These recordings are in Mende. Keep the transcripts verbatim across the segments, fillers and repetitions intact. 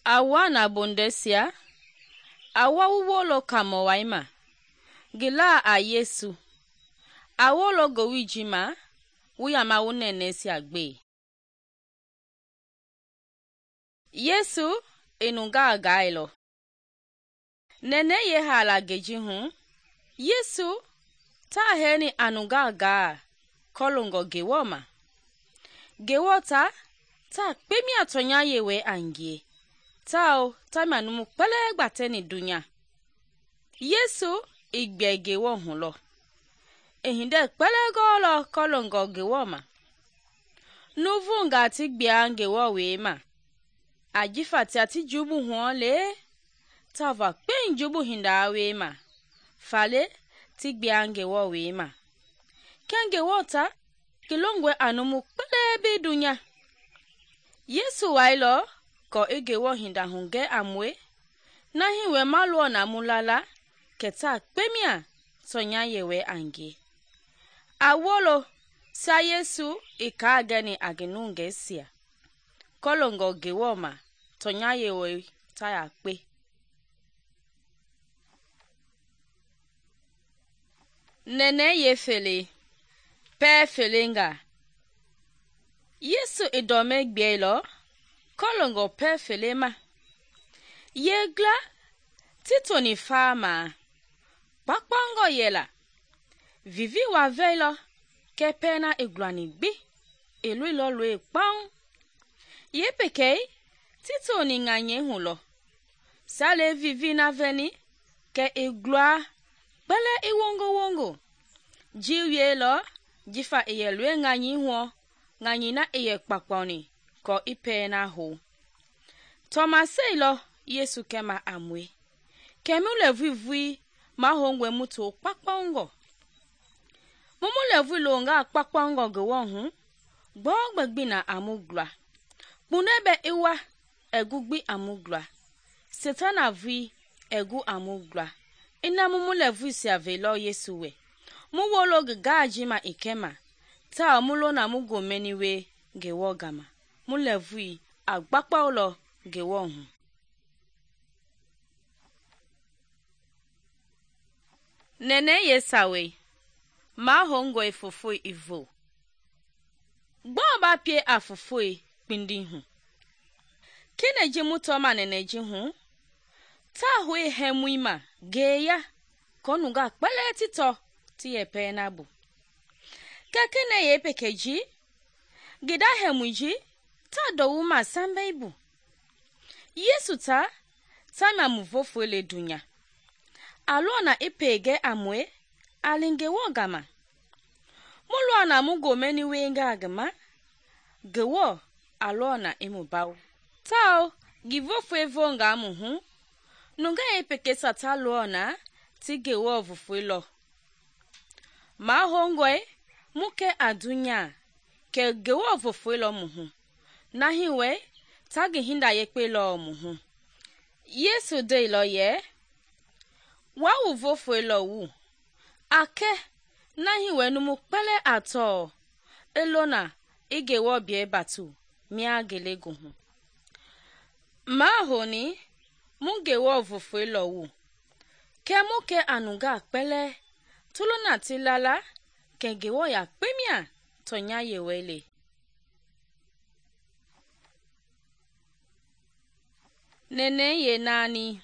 Awa na bondesia, awa wuwolo kamo waima, gila a Yesu. Awolo gowijima, wuyama wunenesia gbe. Yesu enunga gailo. Nene ye hala geji hu, Yesu ta heni anunga gaa kolongo gewoma. Gewota ta kpemi atonya yewe angie. Tao ta manumu pele gbateni dunya. Yesu igbe gewo hulo. Ehinde pele golo kolongo gewoma. Nuvu nga ti gbia gewo wema. Ajifa ti ati jubu huole. Tava kpen jubu hinda wema. Fale ti gbia gewo wema. Kenge wota kilongwe anumu pele bi dunya. Yesu wailo ko egewo hinda hunge amwe. Nahi we maluo na mulala keta kpemia tonya yewe ange. Awolo sa Yesu ika ageni agenunge sia. Kolongo gewoma tonya yewe taya kpe. Nene ye fele, pe felenga. Yesu idome gbielo, kolongo pe felema. Yegla, titoni fama. Pakpango yela. Vivi wa velo, ke pena igluani gbi. Elu ilo lue kpang. Ye pekei, titoni nganye hulo. Sale vivi na veni, ke iglua. Bele iwongo wongo. Jiwe lo, jifa iye lue nganye huo. Nganye na iye kpakponi, ko ipe na ho. Tomase lo, Yesu kema amwe. Kemule vivui, mahongwe muto kpakpango. Mumule vulonga kpakpango gewonhu. Gbogbe gbina amugla. Bunebe iwa, egugbi amugla. Setana vi, egu amugla. Ina mumule vui siya velo Yesu we. Muwolo gajima ikema. Ta mulo na mugo meniwe gewo gama. Mule vui agbakpa ulo gewonhu. Nene yesawe. Ma hongo efofoi ivo. Gboba pie afofoi pindi hu. Kine jimu toma nene jihu. Ta hui hemuima geya. Konunga kpele tito tiye penabu. Kakine ye pekeji. Gida hemuji. Ta dowuma sambeibu. Yesu ta. Ta mamuvofo le dunya. Alona ipege amwe. Alinge wogama. Mulwana mugo meni wenga agama. Gewo alona imubau. Tao givofo evonga amuhu. Nunga epeke sata luona. Ti gewo vufuilo. Ma hongwe. Muke adunya. Ke gewo vufuilo muhu. Nahiwe. Tagi hinda yekpe lo muhu. Yesu de lo ye. Wa uvofuilo wu. Ake. Nahiwe numu pele ato. Elona. Igewo bie batu. Mia gelego hu. Ma honi. Mungewo vufuilo wu. Ke muke anunga pele. Tuluna tilala. Ke gewo ya kpemia. Tonya yewele. Nene ye nani.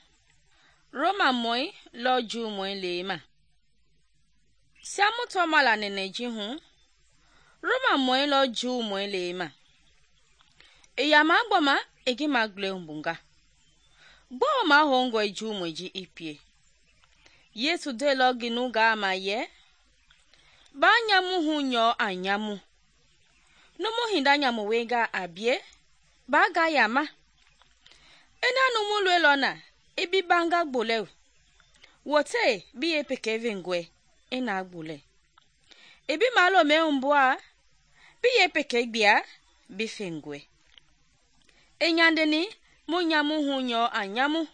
Roma moi lo ju moi lema. Siamu toma la nene jihu. Roma moi lo ju moi lema. Eya magboma egi magle umbunga. Bo ma hongo ju moi ji ipie. Yesu de lo ginu ga ama ye. Ba nyamu hu nyo anyamu. Numu hinda nyamu wega abie. Ba ga yama. Ena numu lwe lona. Ibi banga gbole. Wote biye pekeve ngwe. Ena gbole. Ibi malo me umbua. Biye peke gbia. Bife ngwe. Enyandeni. Mu nyamu hu nyo anyamu.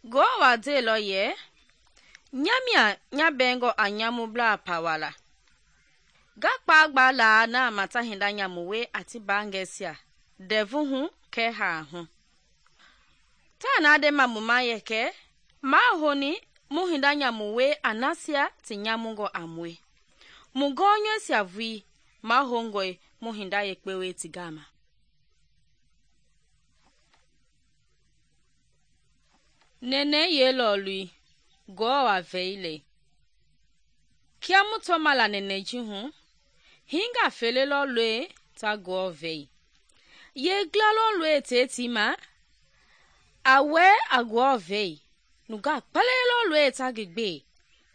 Go wa de lo ye. Nyamia nyabengo anyamu bla pawala. Gakpa agba la na mata hinda nyamuwe ati bangesia. Devu hu ke ha hu. ta na de ma mu ma yeke ma honi mu hinda nyamu we anasia ti nyamungo amwe mu gonye sia vui ma hongoi mu hinda yekpe we ti gama. Nene ye lo lui go wa veile kia mu to mala nene ji hu hinga fele lo lue ta go vei ye gla lo lue te ti ma awe agwo vei nuga pele lo lue ta gigbe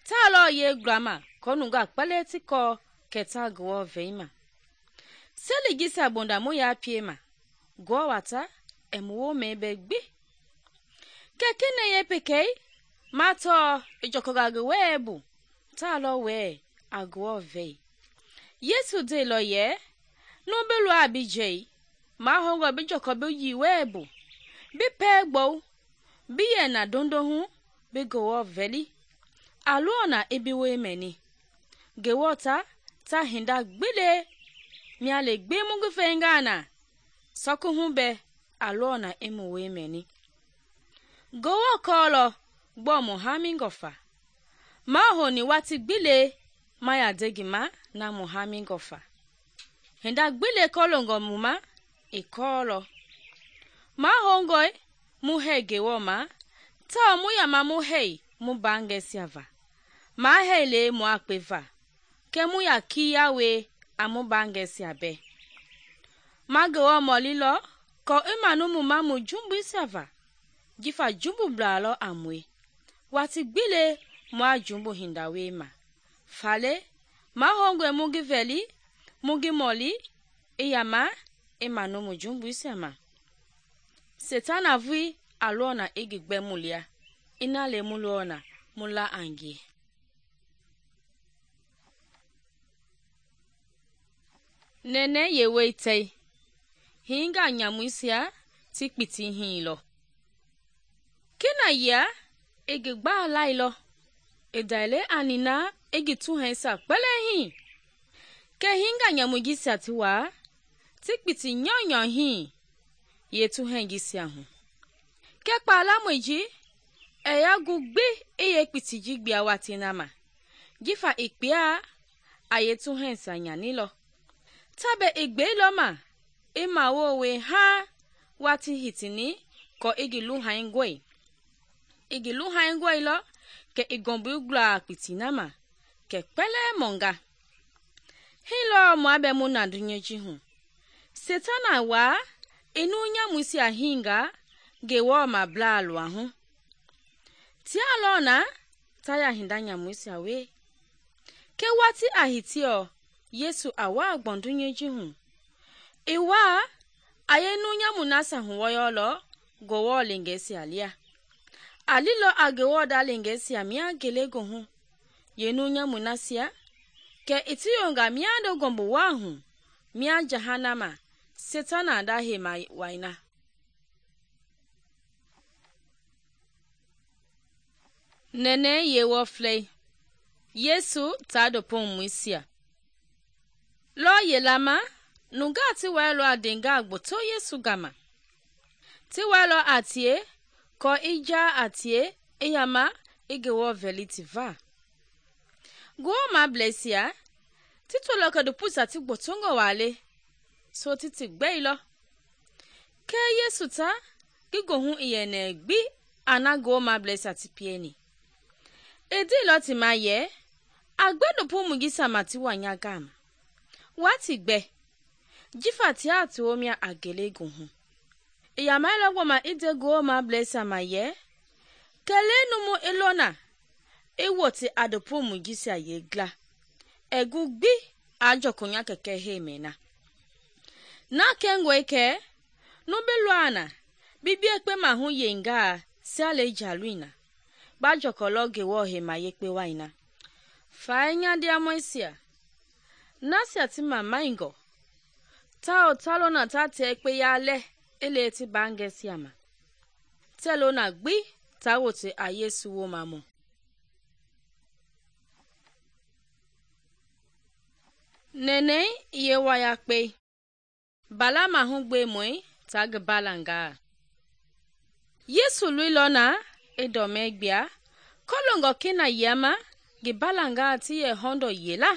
ta lo ye grama ko nuga pele ti ko ke ta go vei ma seli gisa bonda mu ya pie ma go wata emuwo mebe gbi ke kine ye pekei ma to ijokoga gwe bu ta lo we agwo vei Yesu de lo ye no belu abijei ma hongo bi joko bi yi webu bi pegbo bi ye na dondo hu bi go veli aluona ebi we meni ge wota ta hinda gbile mi ale gbe mu gfe ngana soku hu be aluona emu we meni go kolo gbo mu hamingofa ma honi wati gbile ma ya degima na mu hamingofa hinda gbile kolongo mu ma e kolo ma hongoi mu hege woma ta mu ya ma mu hei mu bange siava ma hele mu akpeva ke mu ya kiya we amu bange siabe ma go molilo ko imanu mu ma mu jumbu siava jifa jumbu blalo amwe wati gbile mu ajumbu hinda we ma fale ma hongoi mu giveli mu gimoli iyama imanu mu jumbu siama Setana vui alona igigbe mulia ina le mulona mula angi. Nene ye weite hinga nyamuisia tikpiti hilo kina ya igigba lailo edaile anina igitu hensa pele hi ke hinga nyamugisia tiwa tikpiti nyonyo hi yetu hengisia hu ke pala moji eya gugbi eye pitiji gbia watinama gifa ikpia ayetu hensa nyanilo tabe igbe lo ma ima wowe ha wati hitini ko igilu haingwe igilu haingwe lo ke igombu gla pitinama ke pele monga hilo mo abe mu na dunyeji hu Setana wa inu nyamusi ahinga gewo ma blalu ahu ti alona taya hinda nyamusi awe ke wati ahitio Yesu awa agbondunyeji hu iwa ayenu nyamunasa huwoyolo gowo lingesi alia alilo agewo da lingesi amia gelego hu yenu nyamunasia ke itiyonga miando gombo wahu mia jahanama Setana da hema waina. Nene ye wofle Yesu tado pon muisia lo ye lama nuga ti welo adenga agboto Yesu gama ti welo atie ko ija atie iyama igewo velitiva go ma blesia titolo ko de pusa ti gbotongo wale so titi gbeilo ke Yesu ta gigo hu iyene gbi anago ma blessa ti pieni edi lo ti ma ye agbedo pu mugisa mati wanya gama wati gbe jifa ti ati omia agelego hu iya ma lo ma ide go ma blessa ma ye kelenu mu elona ewoti adopu mugisa ye gla egu gbi ajokunya keke hemena na kengwe ke no beluana bibi ekpe ma hu yenga sale jaluina ba jokolo gewo he ma yekpe waina fa nya dia moisia nasia ti mama ingo ta otalo na ta te ekpe yale ele ti bange siama telo na gbi ta wote a Yesu wo mamu nene ye waya pe bala ma hu gbe moi tag balanga Yesu luilɔ na i dɔmɛ gbia kɔlɔngɔ kena yama ngi balanga ti yɛ hɔndɔ yela.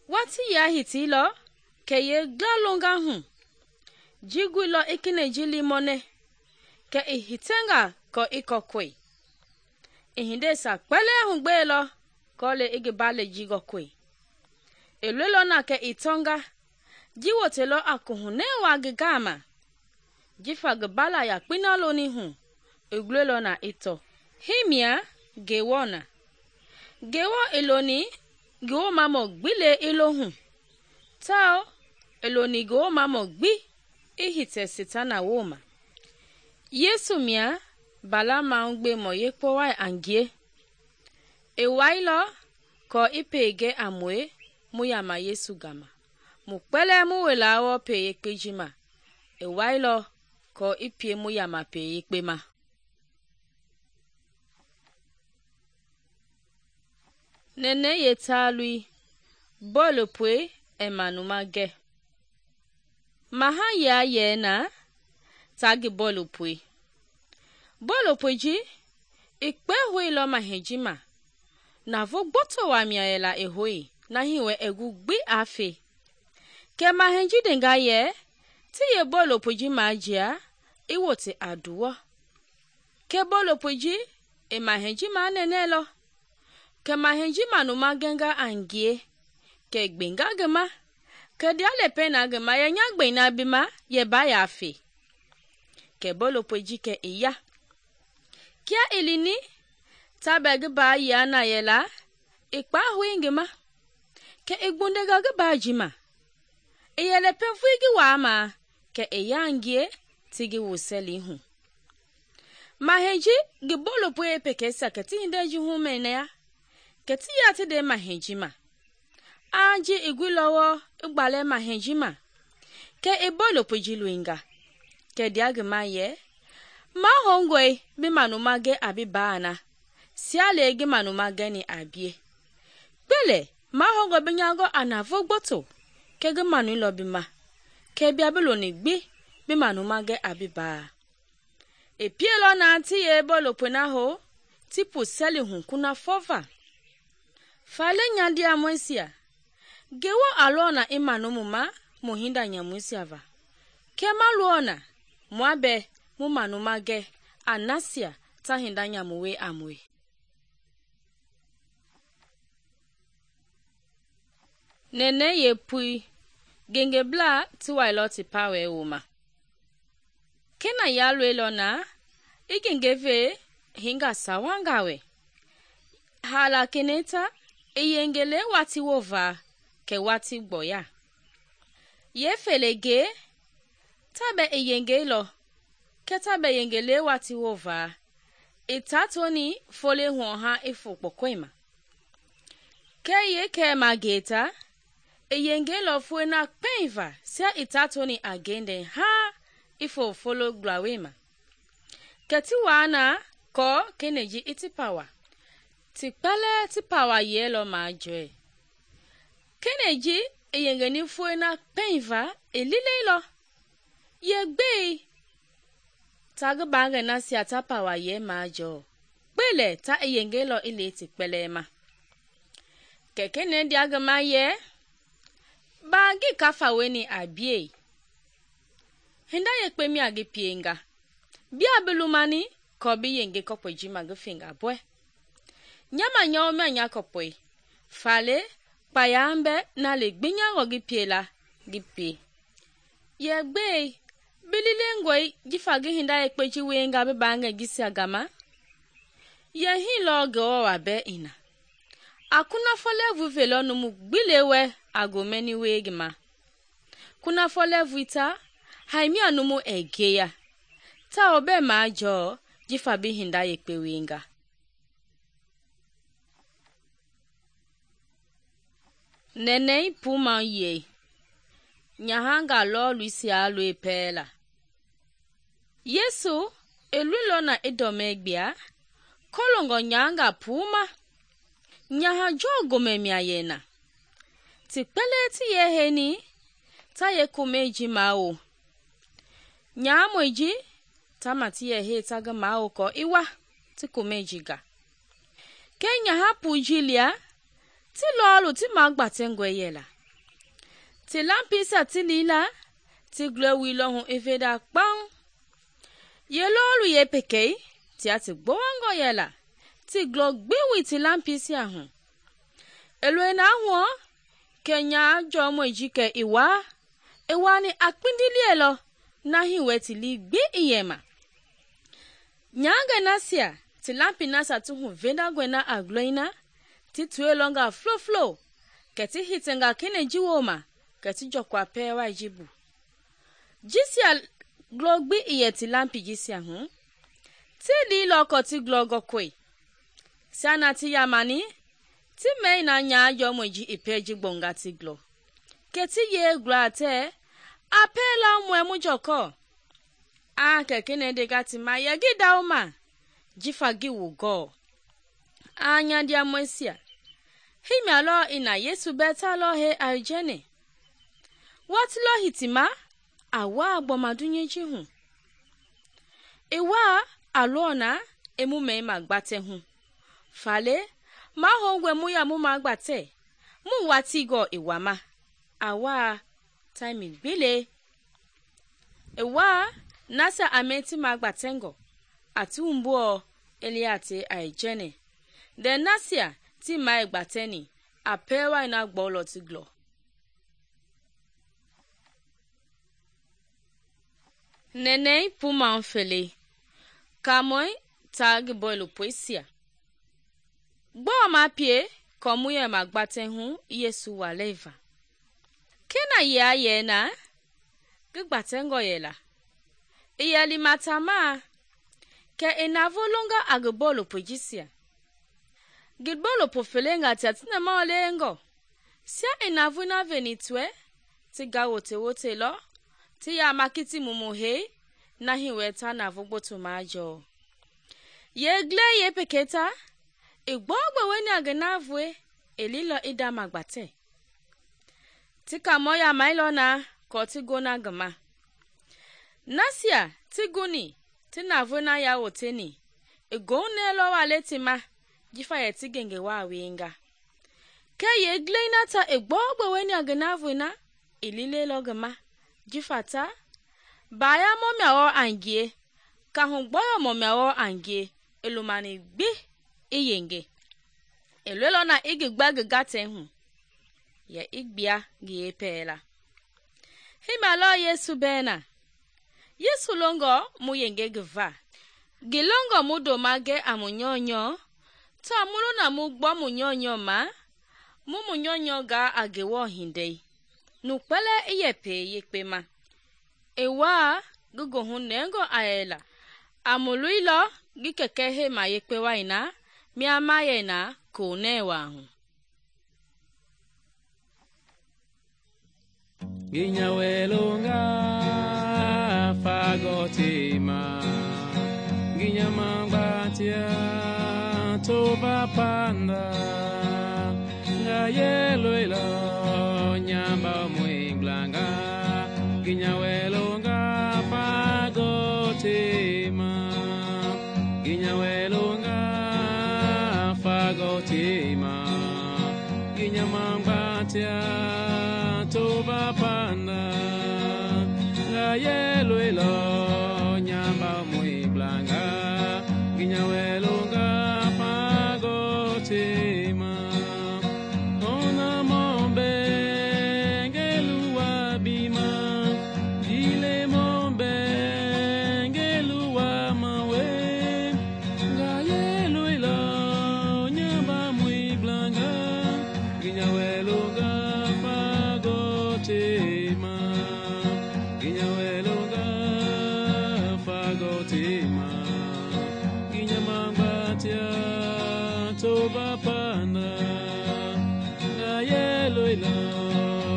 Wati ya hitilɔ kɛ ye gla longa hu. Jiguilɔ i kene ji limɔnɛ kɛ i hitenga kɔ i kɔkɔi. I hindesa kpɛlɛ hugbeelɔ kɔle i ngi bale ji gɔkɔi. I luilɔ na kɛ i tɔnga. Ji wotelɔ a kuhunɛ wa ngi gama. Jifa ngi bala yakpina loni hu, i gluelɔ na i tɔ. Himia Ngewɔ na. Ngewɔ i loni ngi womamɔ gbi le i lo hu. Tao i loni ngi womamɔ gbi i hitɛ Setana woma. Yesu mia bala mahugbemɔ yekpo wai a ngie. I wailɔ kɔ i pege a mue mu yama Yesu gama. Mu kpɛlɛ mu wela wɔ pe yekpe ji ma. I wailɔ kɔ i pie mu yama pe yekpe ma. Nene ye talui bɔɔlu pue emanuma gɛ. Maha ya ye na tagi bɔɔlu pue. Bɔɔlu pue ji i kpe huilɔ maheji ma. Navo gboto wa mia yela i hui na hiwe egu gbi afe. Kɛ maheji denga ye ti ye bɔɔlu pue ji ma jia i wote aduwɔ. Kɛ bɔɔlu pue ji i maheji ma nene lɔ. Kɛ maheji manuma genga a ngie. Kɛ gbenga gema. Kɛ dia lepe na gema ye nya gbena bima ye ba ya fe. Kɛ bɔɔlu pue ji kɛ i ya. Kia ilini tabe gi ba ya na yela i kpa hui ngema. Kɛ i gbundega gi ba jima. I yele pe vui gi waa ma kɛ i ya ngie ti gi wuseli hu. Maheji gi bɔɔlu pue pekesa kɛ ti hinde ji hu mene ya. Kɛ ti ya ti de maheji ma. Aji i guilɔwɔ i gbale maheji ma. Kɛ i bɔɔlu pue ji luinga. Kɛ dia gema ye. Ma hongoi bi manuma ge abi baana. Siale gi manuma geni abie. Bele ma hongo bi nyago anavo gboto. Kɛ gi manu lo bima. Kɛ bia biloni gbi bi manuma ge abi baa. E pielɔ na ti ye bɔɔlu pue na ho ti pu seli hu kuna fova. Fale nyandia mwesia. Gewo alona i manumu ma mu hinda nyamwesia va. Kɛ ma luona mua be mu manuma ge anasia ta hinda nyamuwe amwe. Nene ye pui genge bla ti wailɔ ti pawe woma. Kena ya luelɔ na i genge ve hinga sawanga we. Hala keneta i yengele wati wova ke wati gboya. Ye felege tabe i yenge lo ke tabe yengele wati wova. I tatoni fole huoha ifu kpokwema. Ke ye ke mageta i yenge lo fue na penva sia i tatoni agende ha ifo folo glawema. Ke ti wana ko keneji iti pawa. Ti pele ti pawa ye lo ma joe. Keneji i yengeni fue na penva i lile lo. Ye gbe tagi bange na sia ta pawa ye ma jo. Bele ta i yenge lo ile ti pele ma. Ke kene diagama ye. Bagi kafa weni abie. Hinda ye kpe mi agi pienga. Bia belumani ko bi yenge kopo jima gi finga bwe. Nyama nyawo me nya kopoi. Fale payambe na le gbinya ngogi piela gi pie. Ye gbe bilile ngoi jifa gi hinda ye kpe ji wenga bi bange gisi agama. Ye hi lo go wa be ina. Akuna fole vuve lo numu gbilewe agomeni wegima. Kuna fole vuita haimi anumu egeya. Ta obe ma jo jifa bi hinda ye kpe wenga. Nene puma ye. Nyahanga lo luisi alu epela. Yesu elulo na edomegbia. Kolongo nyanga puma. Nyaha jogo memia yena. Ti pele ti ye heni. Ta ye kumeji mao. Nyaha mweji. tama ti yɛ hei ta ngi mawo kɔ i wa ti komɛi jiga. Ke nyaha pui ji lia ti lɔɔlu ti magbatɛngɔe yɛla. Ti lampisia ti lila ti glɔi wuilɔ hu i veda kpaŋ. Ye lɔɔlu yepekei tia ti gbowangɔ yɛla ti glɔ gbi wui ti lampisia hu. I loi na huɔ ke nyaa jɔmɔi ji kɛ i waa, i waani a kpindilielɔ na hi wɛ ti lii gbi i yɛma. Nyaangɛ nasia ti lampi nasia ti hu vedangɔe na a glɔi na ti tuelɔnga flo-flo kɛ ti hitenga kene ji wooma kɛ ti jɔkwa pɛɛwai ji bu. Jisia glɔ gbi i yɛ ti lampi jisia hu, ti liilɔ kɔ ti glɔ gɔkɔi. Siana ti yamani, ti mɛi na nyaa jɔmɔi ji i pɛ ji gbɔnga ti glɔ. Kɛ ti ye glɔa tɛ, a pɛɛla mɔɛ mu jɔkɔ. A kɛ kene dega ti ma yɛ gi dauma, jifa gi wu gɔɔ. A nyandiamɔisia, hi mia lɔ i na Yesu bɛta lɔ he alijɛnɛ. Wati lɔ hitima, a waa gbɔma dunye ji hu. I waa a lɔɔ na i mu mɛi magbatɛ hu. Fale, ma hongwe mu ya mu magbatɛ, mu wati gɔ i wama. A waa taimi gbile. I waa nasa a mɛi ti magbatɛngɔ, a ti humbuɔ elia te alijɛnɛ. De nasia ti mai gbatɛni, a pɛɛwai na gbɔlɔ ti glɔ. Nenei puma fele, kamoi ta gi boilu poisia. Gbɔ ma pie kɔmu yɛ magbatɛ hu Yesu wa leva. Kena ya yɛ na, gi gbatɛngɔ yɛla. I yɛli matama, kɛ i na volonga a gi bolu pojisia. Gi bolu po felenga tia tina ma olengɔ. Sia i na vuna veni tue, ti ga wote wote lɔ, ti ya makiti mumu hei, na hi wɛ ta na vugboto ma jɔ. Ye gle ye peketa, i gbɔgbe weni a gi na vue, i lilɔ i da magbatɛ. Ti kamɔ ya mailɔ na, kɔ ti gona gima. Nasia ti guni, ti na vuna ya woteni, i gone lɔ wa leti ma, jifa ye ti genge wa wenga. Ke ye gle na ta i gbɔgbe weni a gi na vue na, i lile lɔ gima, jifa ta, baya mɔmia wɔ angie, ka hu gbɔyɔ mɔmia wɔ angie, i lumani gbi i yenge. I lelɔ na i gi gba gi gatɛ hu, ye i gbia gi ye pɛɛla. Hima lɔ Yesu bɛna. Yesu longɔ mu yenge gi va. Gi longɔ mu do ma ge a mu nyɔnyɔ, ta mulu na mu gbɔ mu nyɔnyɔ ma, mu mu nyɔnyɔ ga a gi wɔ hindei. Nu kpɛlɛ i yɛ pɛ yekpe ma. I waa gi gohu nɛngɔ a yɛla. A mu luilɔ gi kɛkɛ he ma yekpe wai na, mia ma yɛ na ko nɛ wa hu. Ginyawelonga fagotima, ginyamangbatia toba panda, ngayeloilo nyamba mwinglanga, ginyawelonga fagotima, ginyawelonga fagotima, ginyamangbatia toba panda, ngayeloilo nyamba mwinglanga, ginyawelonga fagotima. Ona mombe ngeluwa bima, dile mombe ngeluwa mawe, ngayeloilo nyamba mwinglanga, ginyawelonga fagotima, ginyawelonga fagotima, ginyamangbatia toba panda, ngayeloilo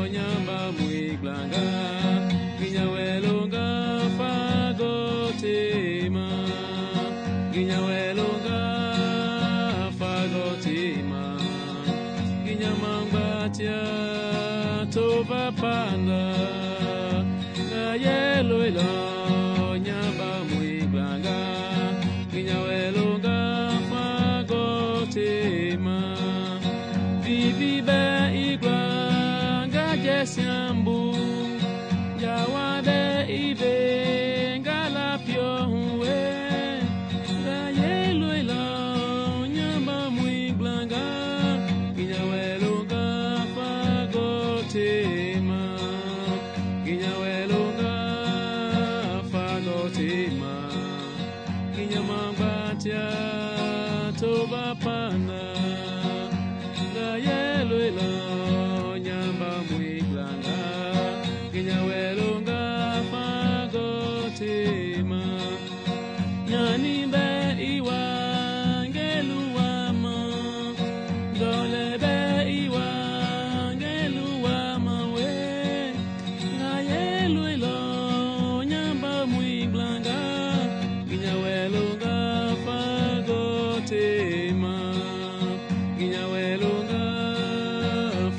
nyamba mwinglanga, ginyawelonga fagotima, ginyawelonga fagotima, ginyamangbatia toba panda, ngayeloilo nyamba mwinglanga. tema kinyama batia toba pana ga yeloila nyamba mwiglanga kinyawelonga fago tema nyani be iwa ngeluwama dole be iwa ngeluwama we ga yeloila nyamba mwiglanga kinyawelonga fago tema kinyawelonga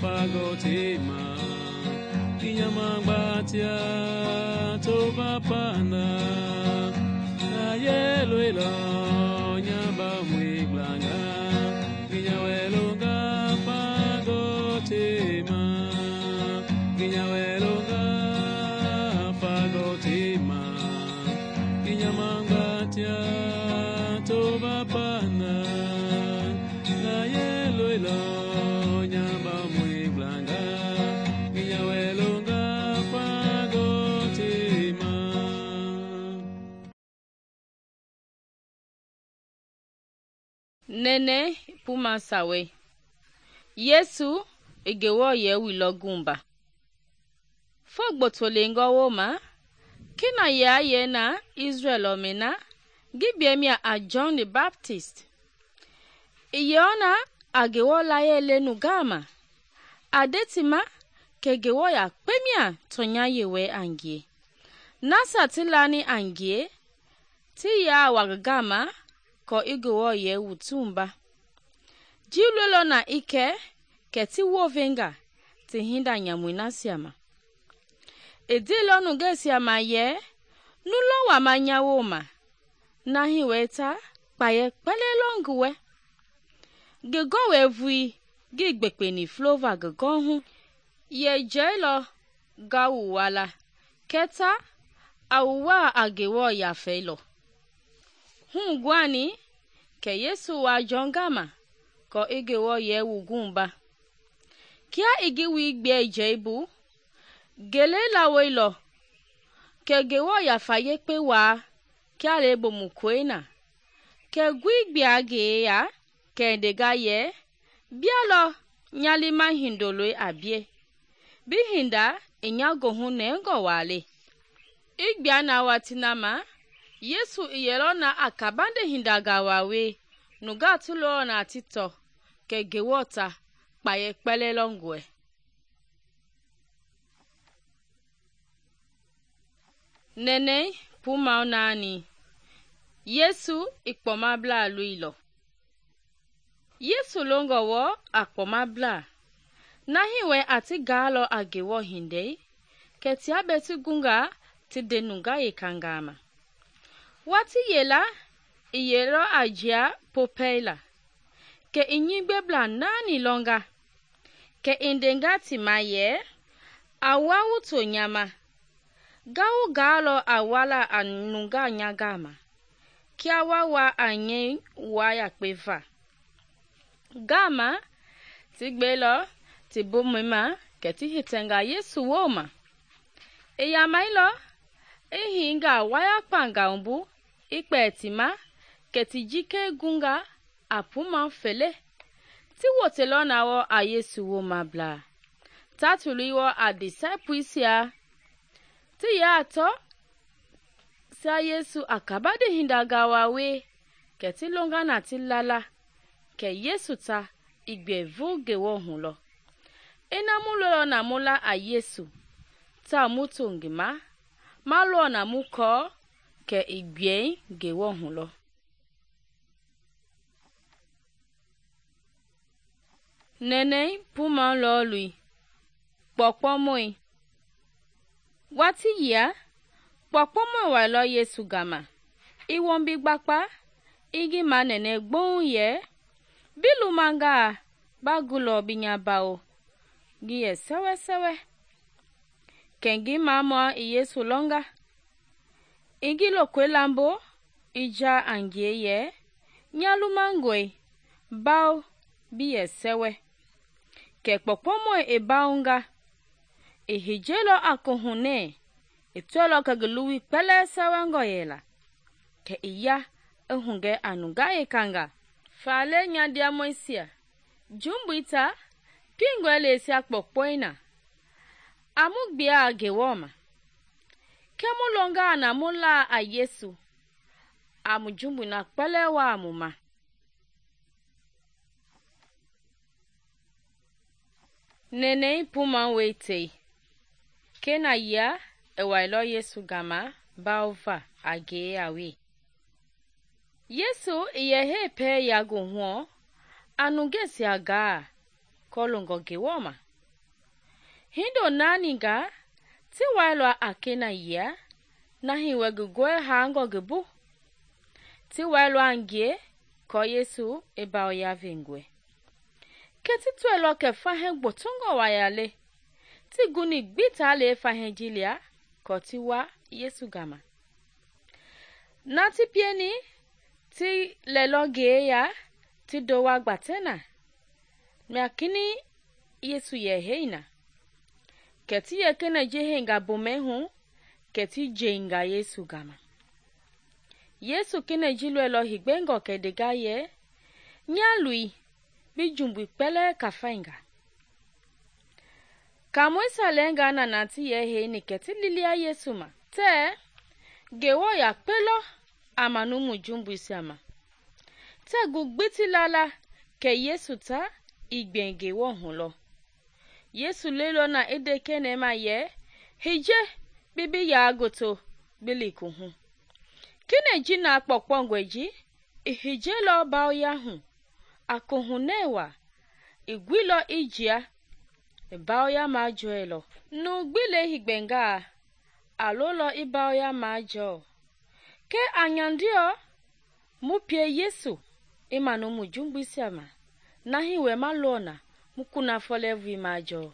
fago tema kinyamangbatia toba pana ayelwela nyamba mwiglanga kinyawelonga fago tema kinyawelonga fago tema kinyamangbatia toba pana ayelwela nyamba mwiglanga kinyawelonga fago tema. Nene puma sawe Yesu egewo ye wilo gumba fogboto lengo woma kina ya ye na Israel omena gibiemia a John the Baptist iyona agewo la ye lenu gama adetima kegewo ya kpemia tonya yewe angie nasa tilani angie ti ya wagama ko igewo ye wutumba jilolo na ike keti wovenga ti hinda nyamwina siama edilo nuge siama ye nulo wa manyawo ma nahi weta paye pelelonguwe gego we vui gi gbekpeni flova gego hu ye jelo gawuwala keta awuwa agewo ya felo hu gwani ke Yesu wa jongama ko igewo ye wugumba kia igiwi gbe jeibu gele la welo ke gewo ya faye pe wa kia lebo mukwena ke gwigbe age ya ke dega ye bialo nyalima hindolo abie bihinda inyago hu nengo wale igbia na watinama Yesu iyelo na akabande hindaga wawe nuga tulo na tito ke gewota paye pelelongwe nene puma nani Yesu ikpomabla luilo Yesu longo wo akpomabla nahiwe ati galo agewo hinde keti abeti gunga ti denunga yekangama wati yela iyelo ajia popela ke inyigbe bla nani longa ke indenga timaye awawu to nyama gawu galo awala anunga nyagama kia wawa anye waya kpeva gama tigbelo tibumima keti hitenga Yesu woma eya mailo ehinga waya panga umbu ikpetima keti jike gunga apuma fele ti wotelo nawo a Yesu woma bla tatuliwo a disciples ya ti ya to sa Yesu akabade hindaga wawe keti longa na tilala ke Yesu ta igbe vuge wo hulo ina mulo na mula a Yesu ta mutu ngima malo na muko ke igbe ge wo hulo nene puma lolui pokpomoi wati ya pokpomoi wa lo Yesu gama iwombi gbakpa igi manene gbon ye bilu manga bagulo binyabao giye sewe sewe kengi mama Yesu longa igi lokwe lambo ija angie ye nyalu mangwe bao biye sewe ke pokpomo e baunga e hijelo akohune etolo kagluwi pele sewe ngoyela ke iya ehunge anunga ekanga. Fale nyandiamoisia, jumbuita pingwelesia kpokpoina. Amu bia gewoma. Kemu longa na mula a Yesu. Amu jumbu na kpele wa amuma. Nene puma wete. Kena ya ewailo Yesu gama baova age awe. Yesu yehe pe yago huo anungesi aga kolongo gewoma. Hindo naninga ti wailo akena ya nahi wegugwe hango gebu. Ti wailo angie ko Yesu eba ya vengwe. Keti tuelo ke fahen botongo wayale. Ti guni gbita le fahen jilia ko ti wa Yesu gama. Nati pieni ti lelo geya ti dowa gbatena. Miakini Yesu ye heina. Keti ye kene jehenga bomehu keti jenga Yesu gama. Yesu kene jilwelo higbengo kedega ye nyalui bi jumbu pele kafainga. Kamwesa lenga na nati ye heini keti lilia Yesu ma. Te gewo ya pelo amanumu jumbu siama. Te gugbiti lala ke Yesu ta igbenge wo hulo. Yesu lelo na edeke nema ye hije bibi ya agoto bilikuhu. Kine jina pokpongweji ihije lo bao ya hu akohunewa igwilo ijia bao ya majoelo. Nu gbile higbenga alolo ibao ya majo. Ke anyandio mupie Yesu imanu mujumbu siama nahi we malona mukuna folevu majo.